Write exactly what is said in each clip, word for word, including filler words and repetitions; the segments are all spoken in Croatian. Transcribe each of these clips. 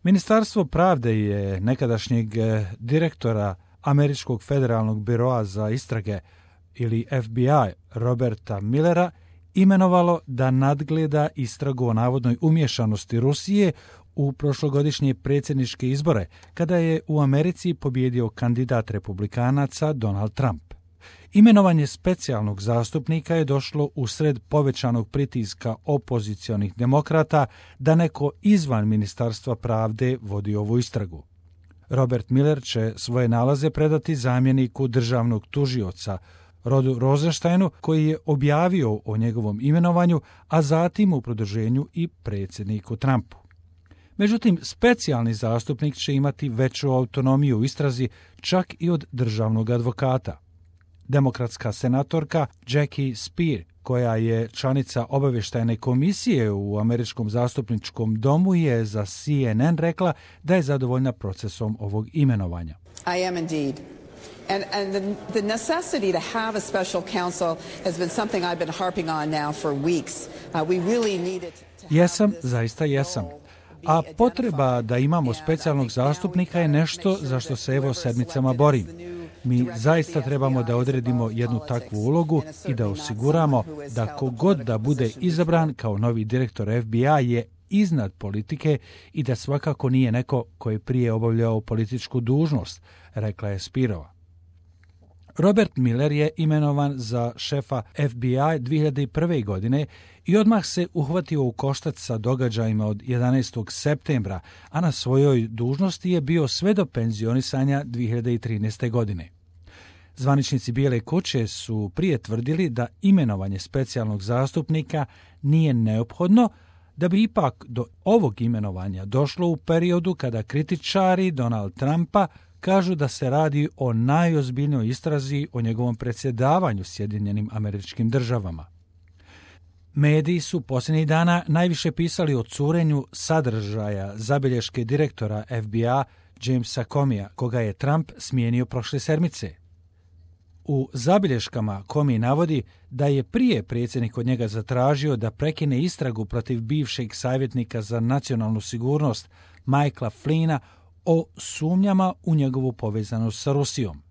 Ministarstvo pravde je nekadašnjeg direktora Američkog federalnog biroa za istrage ili F B I Roberta Millera imenovalo da nadgleda istragu o navodnoj umješanosti Rusije u prošlogodišnje predsjedničke izbore, kada je u Americi pobijedio kandidat republikanaca Donald Trump. Imenovanje specijalnog zastupnika je došlo usred povećanog pritiska opozicionih demokrata da neko izvan Ministarstva pravde vodi ovu istragu. Robert Miller će svoje nalaze predati zamjeniku državnog tužioca Rodu Rosensteinu, koji je objavio o njegovom imenovanju, a zatim u produženju i predsjedniku Trumpu. Međutim, specijalni zastupnik će imati veću autonomiju u istrazi, čak i od državnog advokata. Demokratska senatorka Jackie Speier, koja je članica obavještajne komisije u Američkom zastupničkom domu, je za C N N rekla da je zadovoljna procesom ovog imenovanja. I am indeed. And, and the, the necessity to have a special counsel has been something I've been harping on now for weeks. Uh, we really needed to have Jesam, this zaista jesam. A potreba da imamo specijalnog zastupnika je nešto za što se evo sedmicama borim. Mi zaista trebamo da odredimo jednu takvu ulogu i da osiguramo da kogod da bude izabran kao novi direktor F B I je iznad politike i da svakako nije neko koji je prije obavljao političku dužnost, rekla je Spirova. Robert Miller je imenovan za šefa F B I dvije hiljade prve. godine i odmah se uhvatio u koštac sa događajima od jedanaestog septembra, a na svojoj dužnosti je bio sve do penzionisanja dvije hiljade trinaeste. godine. Zvaničnici Bijele kuće su prije tvrdili da imenovanje specijalnog zastupnika nije neophodno, da bi ipak do ovog imenovanja došlo u periodu kada kritičari Donald Trumpa kažu da se radi o najozbiljnijoj istrazi o njegovom predsjedavanju Sjedinjenim Američkim Državama. Mediji su posljednjih dana najviše pisali o curenju sadržaja zabilješke direktora F B I Jamesa Comeyja, koga je Trump smijenio prošle sedmice. U zabilješkama Comey navodi da je prije predsjednik od njega zatražio da prekine istragu protiv bivšeg savjetnika za nacionalnu sigurnost Michaela Flynna o sumnjama u njegovu povezanost sa Rusijom.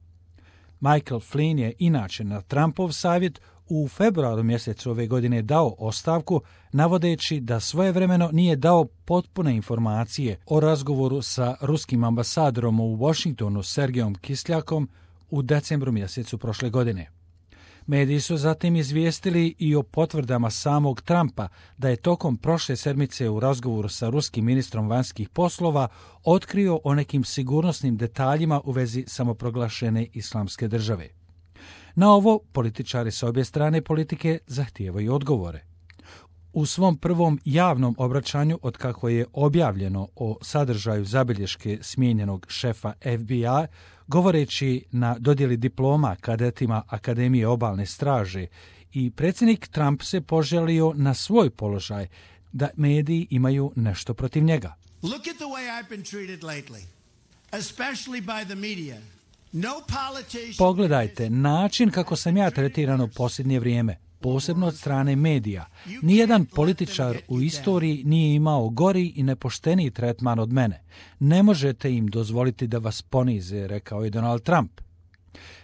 Michael Flynn je inače na Trumpov savjet u februaru mjesecu ove godine dao ostavku, navodeći da svojevremeno nije dao potpune informacije o razgovoru sa ruskim ambasadorom u Washingtonu Sergejom Kisljakom u decembru mjesecu prošle godine. Mediji su zatim izvijestili i o potvrdama samog Trumpa da je tokom prošle sedmice u razgovoru sa ruskim ministrom vanjskih poslova otkrio o nekim sigurnosnim detaljima u vezi samoproglašene islamske države. Na ovo političari s obje strane politike zahtijevaju odgovore. U svom prvom javnom obraćanju otkako je objavljeno o sadržaju zabilješke smijenjenog šefa F B I, govoreći na dodjeli diploma kadetima Akademije obalne straže, i predsjednik Trump se poželio na svoj položaj da mediji imaju nešto protiv njega. Look at the way I've been treated lately, especially by the media. No politician... Pogledajte način kako sam ja tretiran u posljednje vrijeme, posebno od strane medija. Nijedan političar u istoriji nije imao gori i nepošteniji tretman od mene. Ne možete im dozvoliti da vas ponize, rekao je Donald Trump.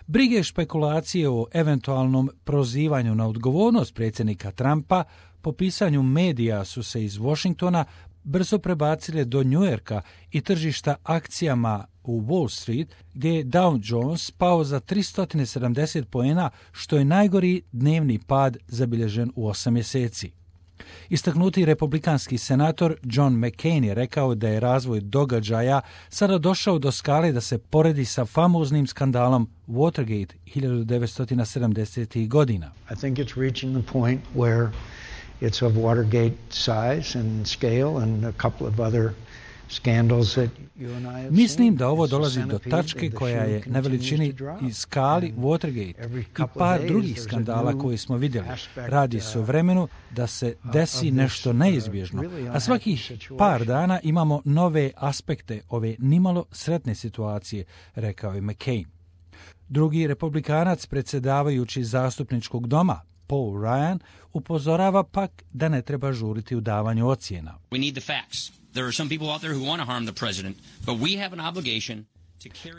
Brige i špekulacije o eventualnom prozivanju na odgovornost predsjednika Trumpa po pisanju medija su se iz Washingtona brzo prebacile do Njujorka i tržišta akcijama u Wall Street, gdje je Dow Jones pao za tristo sedamdeset poena, što je najgori dnevni pad zabilježen u osam mjeseci. Istaknuti republikanski senator John McCain je rekao da je razvoj događaja sada došao do skale da se poredi sa famoznim skandalom Watergate hiljadu devetsto sedamdesetih. godina. I think it's reaching the point where it's of Watergate size and scale and a couple of other scandals that you and I have Mislim da ovo dolazi do tačke koja je na veličini i skali Watergate i par drugih skandala koje smo vidjeli. Radi se o vremenu da se desi nešto neizbježno, a svakih par dana imamo nove aspekte ove nimalo sretne situacije, rekao je McCain. Drugi republikanac, predsjedavajući zastupničkog doma, Paul Ryan upozorava pak da ne treba žuriti u davanju ocjena. We need the facts. There are some people out there who want to harm the president, but we have an obligation.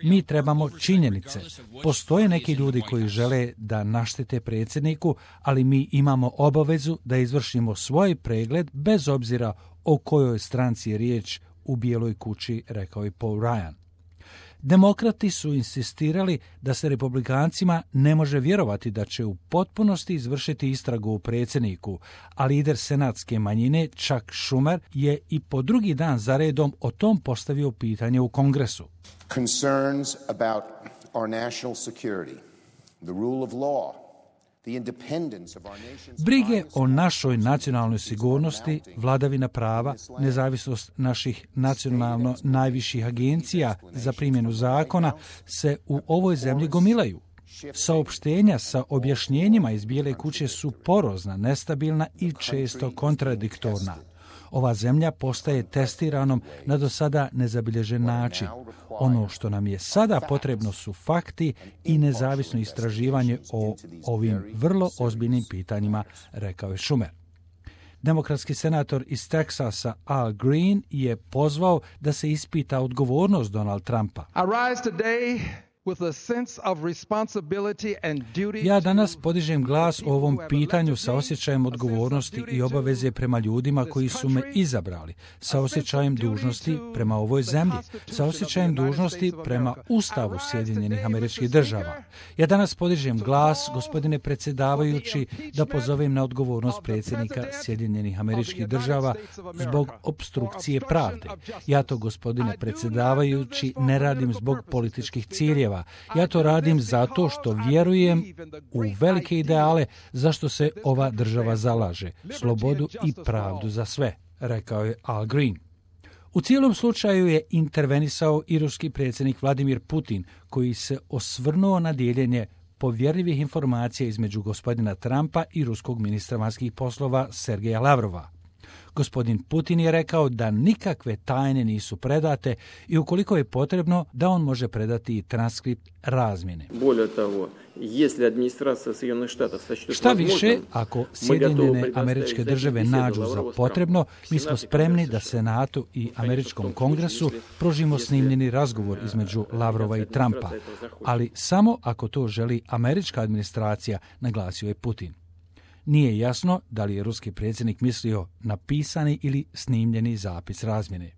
Mi trebamo činjenice. Postoje neki ljudi koji žele da naštete predsjedniku, ali mi imamo obavezu da izvršimo svoj pregled bez obzira o kojoj stranci je riječ u Bijeloj kući, rekao je Paul Ryan. Demokrati su insistirali da se republikancima ne može vjerovati da će u potpunosti izvršiti istragu u predsjedniku, a lider senatske manjine Chuck Schumer je i po drugi dan za redom o tom postavio pitanje u Kongresu. Concerns about our national security, the rule of law, the independence of our nation's... Brige o našoj nacionalnoj sigurnosti, vladavina prava, nezavisnost naših nacionalno najviših agencija za primjenu zakona se u ovoj zemlji gomilaju. Saopštenja sa objašnjenjima iz Bijele kuće su porozna, nestabilna i često kontradiktorna. Ova zemlja postaje testiranom na do sada nezabilježen način. Ono što nam je sada potrebno su fakti i nezavisno istraživanje o ovim vrlo ozbiljnim pitanjima, rekao je Schumer. Demokratski senator iz Teksasa Al Green je pozvao da se ispita odgovornost Donald Trumpa. Ja danas podižem glas o ovom pitanju sa osjećajem odgovornosti i obaveze prema ljudima koji su me izabrali, sa osjećajem dužnosti prema ovoj zemlji, sa osjećajem dužnosti prema Ustavu Sjedinjenih Američkih Država. Ja danas podižem glas, gospodine predsjedavajući, da pozovem na odgovornost predsjednika Sjedinjenih Američkih Država zbog opstrukcije pravde. Ja to, gospodine predsjedavajući, ne radim zbog političkih ciljeva. Ja to radim zato što vjerujem u velike ideale za što se ova država zalaže, slobodu i pravdu za sve, rekao je Al Green. U cijelom slučaju je intervenisao i ruski predsjednik Vladimir Putin, koji se osvrnuo na dijeljenje povjerljivih informacija između gospodina Trumpa i ruskog ministra vanjskih poslova Sergeja Lavrova. Gospodin Putin je rekao da nikakve tajne nisu predate i ukoliko je potrebno da on može predati i transkript razmjene. Šta više, ako Sjedinjene Američke Države nađu za potrebno, mi smo spremni da Senatu i Američkom kongresu pružimo snimljeni razgovor između Lavrova i Trumpa, ali samo ako to želi američka administracija, naglasio je Putin. Nije jasno da li je ruski predsjednik mislio na pisani ili snimljeni zapis razmjene.